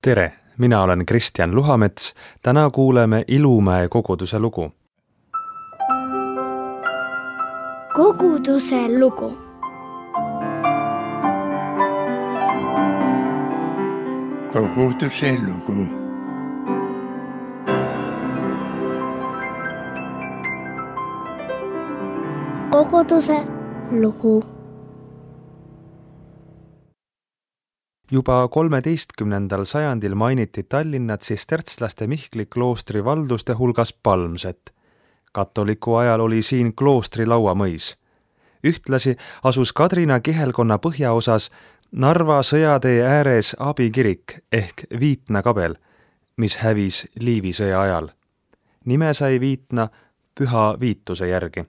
Tere, mina olen Kristjan Luhamets. Täna kuuleme Ilumäe koguduse lugu. Koguduse lugu. Koguduse lugu. Koguduse lugu. Juba 13. sajandil mainiti Tallinna tsistertslaste Mihkli kloostri valduste hulgas Palmset. Katoliku ajal oli siin kloostri lauamõis. Ühtlasi asus Kadrina kihelkonna põhjaosas Narva sõjatee ääres abikirik ehk Viitna kabel, mis hävis Liivi sõja ajal. Nime sai Viitna Püha Viituse järgi.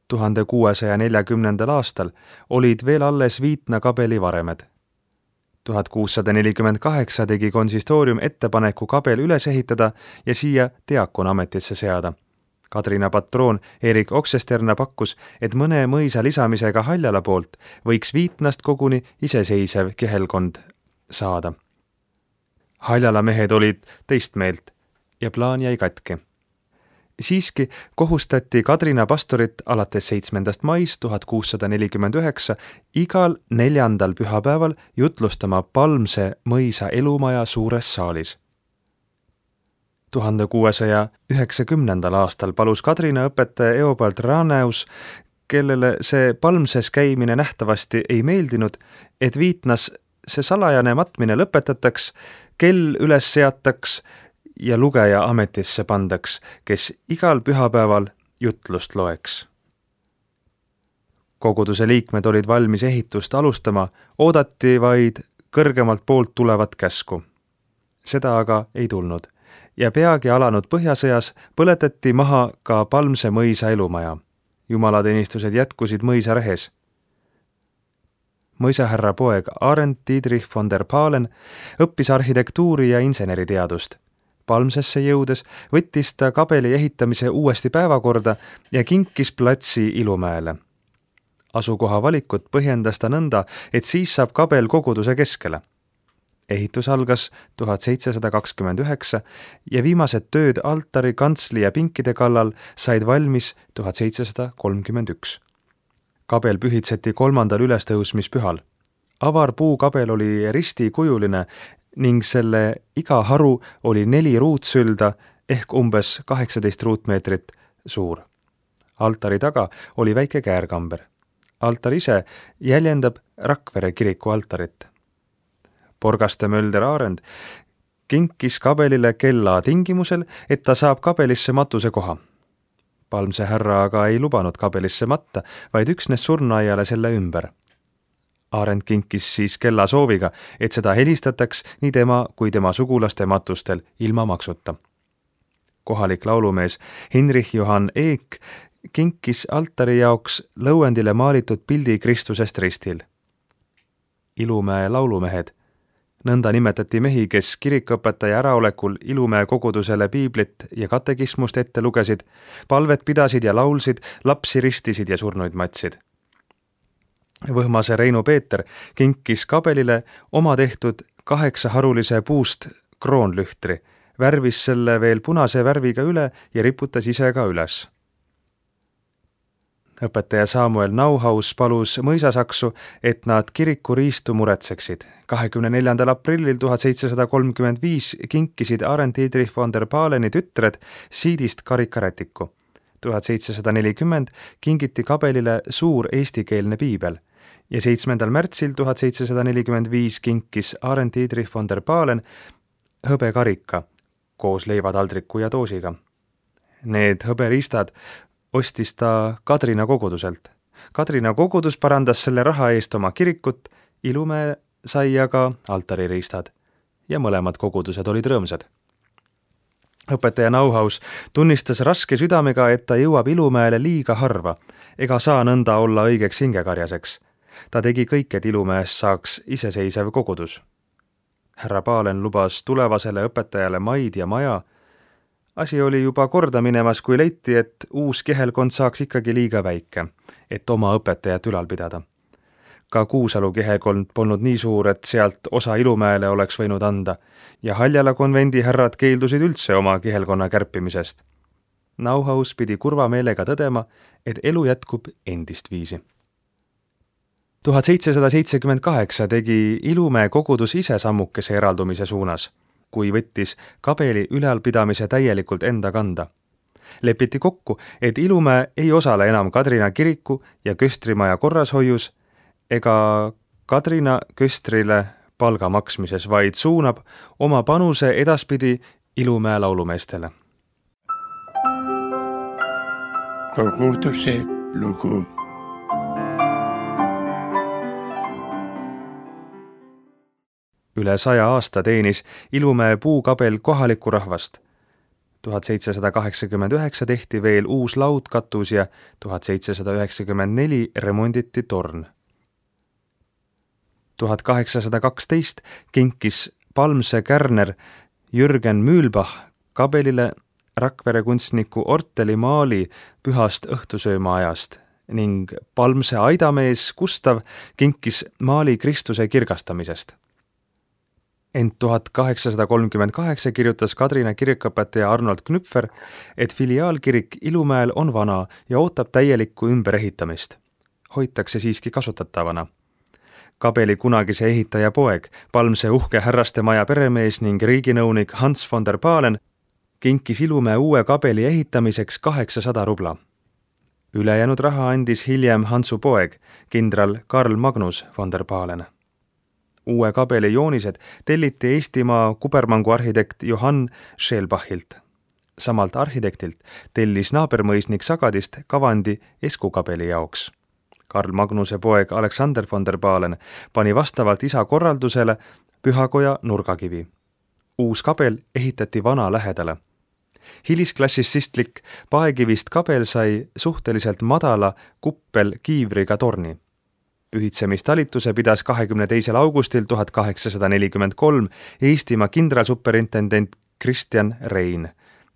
1640. aastal olid veel alles Viitna kabeli varemed. 1648 tegi konsistoorium ettepaneku kabel üles ehitada ja siia diakona ametisse seada. Kadrina patroon Erik Oksesterna pakkus, et mõne mõisa lisamisega Haljala poolt võiks Viitnast koguni iseseisev kihelkond saada. Haljala mehed olid teist meelt ja plaan jäi katki. Siiski kohustati Kadrina pastorit alates 7. maist 1649 igal 4. pühapäeval jutlustama Palmse mõisa elumaja suures saalis. 1690. aastal palus Kadrina õpetaja Eobald Raneus, kellele see Palmses käimine nähtavasti ei meeldinud, et Viitnas see salajane matmine lõpetataks, kell üles seataks ja lugeja ametisse pandaks, kes igal pühapäeval jutlust loeks. Koguduse liikmed olid valmis ehitust alustama, oodati vaid kõrgemalt poolt tulevat käsku. Seda aga ei tulnud ja peagi alanud põhjasõjas põletati maha ka Palmse mõisa elumaja. Jumalateenistused jätkusid mõisa rehes. Mõisahärra poeg Arend Dietrich von der Pahlen õppis arhitektuuri ja inseneriteadust. Palmsesse jõudes võttis ta kabeli ehitamise uuesti päevakorda ja kinkis platsi Ilumäele. Asukoha valikut põhjendas ta nõnda, et siis saab kabel koguduse keskele. Ehitus algas 1729 ja viimased tööd altari, kantsli ja pinkide kallal said valmis 1731. Kabel pühitseti 3. ülestõusmispühal. Avar puukabel oli ristikujuline ning selle iga haru oli 4 ruutsülda ehk umbes 18 ruutmeetrit suur. Altari taga oli väike käärkamber. Altar ise jäljendab Rakvere kiriku altarit. Porgaste Mölder Arend kinkis kabelile kella tingimusel, et ta saab kabelisse matuse koha. Palmse härra aga ei lubanud kabelisse matta, vaid üksnes surnuaiale selle ümber. Arend kinkis siis kella sooviga, et seda helistataks nii tema kui tema sugulaste matustel ilma maksuta. Kohalik laulumees Hinrich Johann Eek kinkis altari jaoks lõuendile maalitud pildi Kristusest ristil. Ilumäe laulumehed. Nõnda nimetati mehi, kes kirikuõpetaja äraolekul Ilumäe kogudusele piiblit ja katekismust ette lugesid, palvet pidasid ja laulsid, lapsi ristisid ja surnuid matsid. Võhmase Reinu Peeter kinkis kabelile oma tehtud 8-harulise puust kroonlühtri, värvis selle veel punase värviga üle ja riputas ise ka üles. Õpetaja Samuel Nauhaus palus mõisasaksu, et nad kiriku riistu muretseksid. 24. aprillil 1735 kinkisid Arend Dietrich von der Pahleni tütred siidist karikarätiku. 1740 kingiti kabelile suur eestikeelne piibel ja 7. märtsil 1745 kinkis Arend Dietrich von der Pahlen hõbekarika koos leivataldriku ja doosiga. Need hõberiistad ostis ta Kadrina koguduselt. Kadrina kogudus parandas selle raha eest oma kirikut, Ilumäe sai aga altaririistad ja mõlemad kogudused olid rõõmsad. Õpetaja Nauhaus tunnistas raske südamega, et ta jõuab Ilumäele liiga harva ega saa nõnda olla õigeks hingekarjaseks. Ta tegi kõik, et Ilumäest saaks iseseisev kogudus. Härra Pahlen lubas tulevasele õpetajale maid ja maja. Asi oli juba korda minemas, kui leiti, et uus kihelkond saaks ikkagi liiga väike, et oma õpetajat ülal pidada. Ka Kuusalu kihelkond polnud nii suur, et sealt osa Ilumäele oleks võinud anda ja Haljala konvendi härrad keeldusid üldse oma kihelkonna kärpimisest. Nauhaus pidi kurva meelega tõdema, et elu jätkub endist viisi. 1778 tegi Ilumäe kogudus ise sammukese eraldumise suunas, kui võttis Kabeli ülalpidamise täielikult enda kanda. Lepiti kokku, et Ilumäe ei osale enam Kadrina kiriku ja köstrimaja korrashoius ega Kadrina köstrile palga maksmises, vaid suunab oma panuse edaspidi Ilumäe laulumeestele. Koguduse lugu. Üle 100 aasta teenis Ilumäe puukabel kohalikku rahvast. 1789 tehti veel uus laudkatus ja 1794 remonditi torn. 1812 kinkis Palmse kärner Jürgen Mühlbach kabelile Rakvere kunstniku Orteli maali Pühast õhtusöömaajast ning Palmse aidamees Gustav kinkis maali Kristuse kirgastamisest. Ent 1838 kirjutas Kadrina kirikuõpetaja Arnold Knüpfer, et filiaalkirik Ilumäel on vana ja ootab täielikku ümberehitamist. Hoitakse siiski kasutatavana. Kabeli kunagise ehitaja poeg, Palmse uhke härrastemaja peremees ning riiginõunik Hans von der Pahlen kinkis Ilumäe uue kabeli ehitamiseks 800 rubla. Ülejäänud raha andis hiljem Hansu poeg, kindral Karl Magnus von der Pahlen. Uue kabeli joonised telliti Eestimaa kubermangu arhitekt Johann Schelbachilt. Samalt arhitektilt tellis naabermõisnik Sagadist kavandi eskukabeli jaoks. Karl Magnuse poeg Alexander von der Pahlen pani vastavalt isa korraldusele pühakoja nurgakivi. Uus kabel ehitati vana lähedale. Hilisklassistlik paekivist kabel sai suhteliselt madala kuppel kiivriga torni. Pühitsemistalituse pidas 22. augustil 1843 Eestimaa kindralsuperintendent Kristjan Rein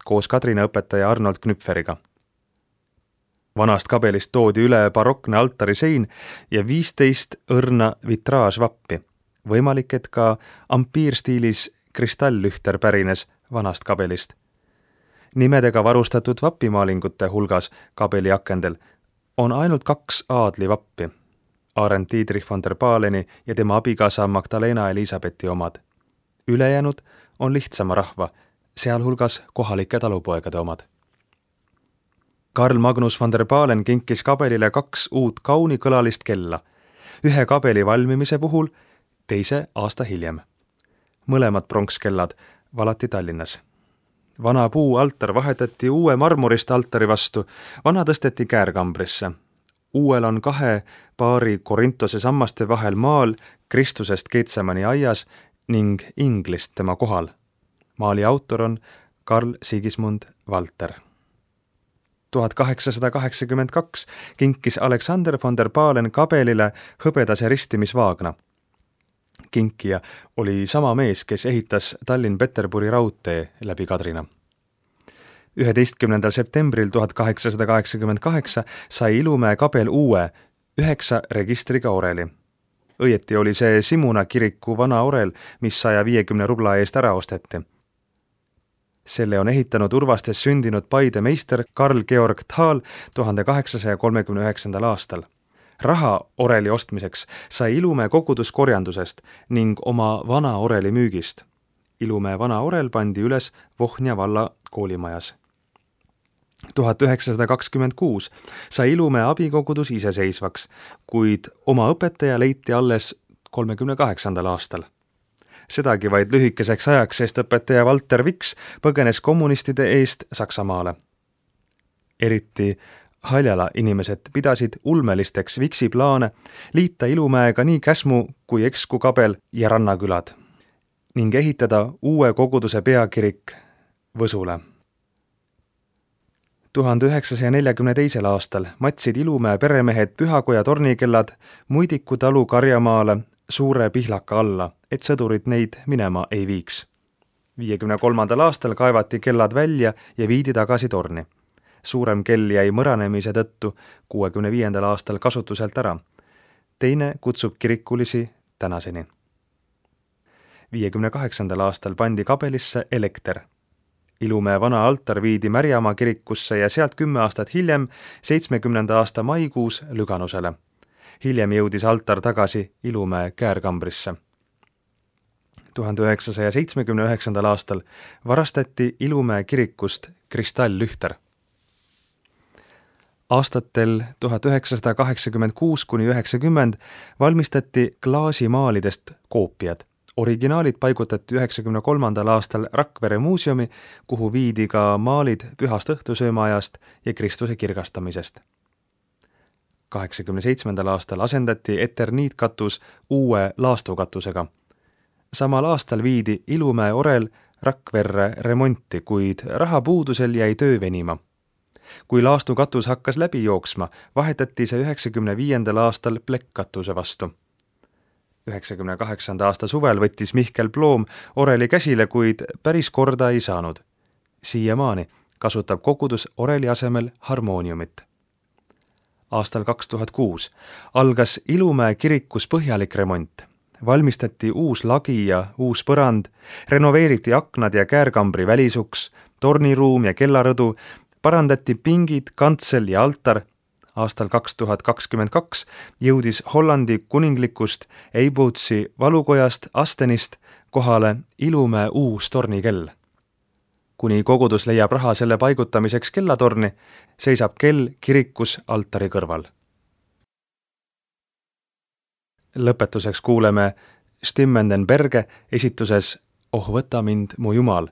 koos Kadrina õpetaja Arnold Knüpferiga. Vanast kabelist toodi üle barokne altarisein ja 15 õrna vitraažvappi. Võimalik, et ka ampiirstiilis kristalllühter pärines vanast kabelist. Nimedega varustatud vapimaalingute hulgas kabeli akendel on ainult 2 aadlivappi. Arend Dietrich von der Pahleni ja tema abikaasa Magdalena Elisabethi omad. Ülejäänud on lihtsama rahva, sealhulgas kohalike talupoegade omad. Karl Magnus von der Pahlen kinkis kabelile 2 uut kaunikõlalist kella, ühe kabeli valmimise puhul, teise aasta hiljem. Mõlemad pronkskellad valati Tallinnas. Vana puu altar vahetati uue marmorist altari vastu, vana tõsteti käärkambrisse. Uuel on 2 paari Korintose sammaste vahel maal Kristusest Getsemani aias ning inglist tema kohal. Maali autor on Karl Sigismund Walter. 1882 kinkis Alexander von der Pahlen kabelile hõbedase ristimisvaagna. Kinkija oli sama mees, kes ehitas Tallinn-Peterburi raudtee läbi Kadrina. 11. septembril 1888 sai Ilumäe kabel uue 9 registriga oreli. Õieti oli see Simuna kiriku vana orel, mis 150 rubla eest ära osteti. Selle on ehitanud Urvastes sündinud Paide meister Karl Georg Thal 1839. aastal. Raha oreli ostmiseks sai Ilumäe kogudus korjandusest ning oma vana oreli müügist. Ilumäe vana orel pandi üles Vohnja valla koolimajas. 1926 sai Ilumäe abikogudus iseseisvaks, kuid oma õpetaja leiti alles 38. aastal. Sedagi vaid lühikeseks ajaks, sest õpetaja Walter Viks põgenes kommunistide eest Saksamaale. Eriti Haljala inimesed pidasid ulmelisteks Viksi plaane liita Ilumäega nii Käsmu kui Eksku kabel ja rannakülad ning ehitada uue koguduse peakirik Võsule. 1942. aastal matsid Ilumäe peremehed pühakoja tornikellad Muidiku talu karjamaale Suure Pihlaka alla, et sõdurid neid minema ei viiks. 53. aastal kaevati kellad välja ja viidi tagasi torni. Suurem kell jäi mõranemise tõttu 65. aastal kasutuselt ära. teine kutsub kirikulisi tänaseni. 58. aastal pandi kabelisse elekter. Ilumäe vana altar viidi Märjamaa kirikusse ja sealt 10 aastat hiljem, 70. aasta maikuus Lüganusele. Hiljem jõudis altar tagasi Ilumäe käärkambrisse. 1979. aastal varastati Ilumäe kirikust kristalllühter. Aastatel 1986–90 valmistati klaasimaalidest koopiad. Originaalid paigutati 1993. aastal Rakvere muuseumi, kuhu viidi ka maalid Pühast õhtusöömaajast ja Kristuse kirgastamisest. 1987. aastal asendati eterniitkatus uue laastukatusega. Samal aastal viidi Ilumäe orel Rakverre remonti, kuid rahapuudusel jäi töö venima. Kui laastukatus hakkas läbi jooksma, vahetati see 1995. aastal plekkkatuse vastu. 1998. aasta suvel võttis Mihkel Ploom oreli käsile, kuid päris korda ei saanud. Siiamaani kasutab kogudus oreli asemel harmooniumit. Aastal 2006 algas Ilumäe kirikus põhjalik remont. Valmistati uus lagi ja uus põrand, renoveeriti aknad ja käärkambri välisuks, torniruum ja kellarõdu, parandati pingid, kantsel ja altar. Aastal 2022 jõudis Hollandi kuninglikust Eiboutsi valukojast Astenist kohale Ilumäe uus tornikell. Kuni kogudus leiab raha selle paigutamiseks kellatorni, seisab kell kirikus altari kõrval. Lõpetuseks kuuleme Stimmen Berge esituses Oh võta mind, mu Jumal,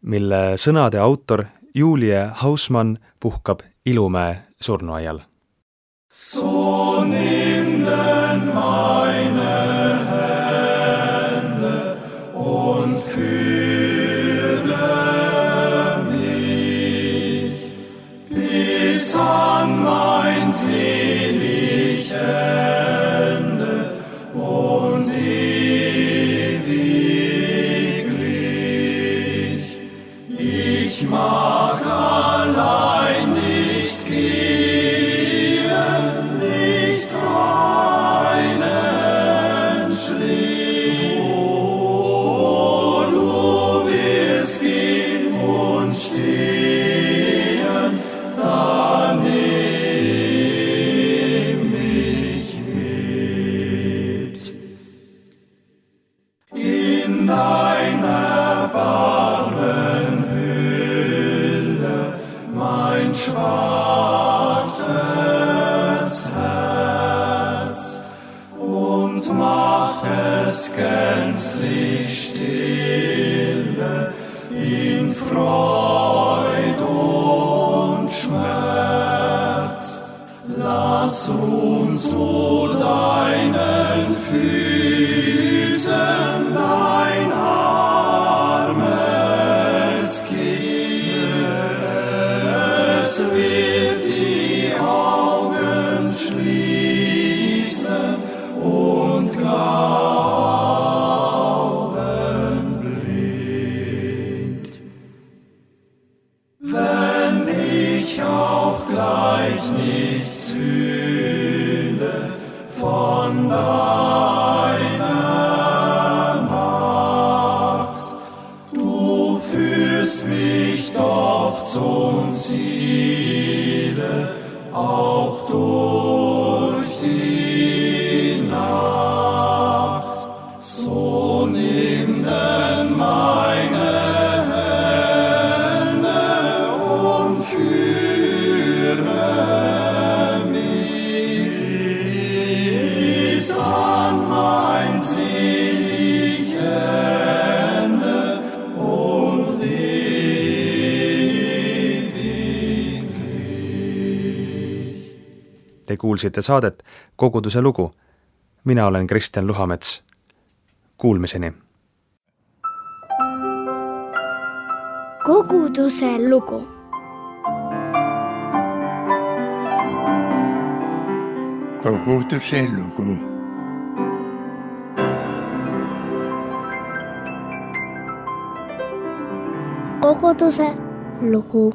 mille sõnade autor Julie Hausmann puhkab Ilumäe surnuaial. So nimm denn meine Hände und führe mich bis an mein selig Ende und ewiglich. Ich mag allein nicht gehen, nicht einen Schritt, wo du wirst gehen und stehen, da nimm mich mit. In deiner Barmenhülle mein schwaches Herz und mach es gänzlich stille in Freud und Schmerz. Lass uns zu deinen Füßen dein armes Kind. Es wird die Augen schließen und Glauben blind. Wenn ich auch gleich nichts fühle von deiner Macht, du führst mich doch zum Ziele, auch durch die Nacht. So nimm denn meine Hände und führe mich bis an mein selig Ende und ewiglich. Te kuulsite saadet Koguduse lugu. Mina olen Kristjan Luhamets. Kuulmiseni. Koguduse lugu. Koguduse lugu. Koguduse lugu.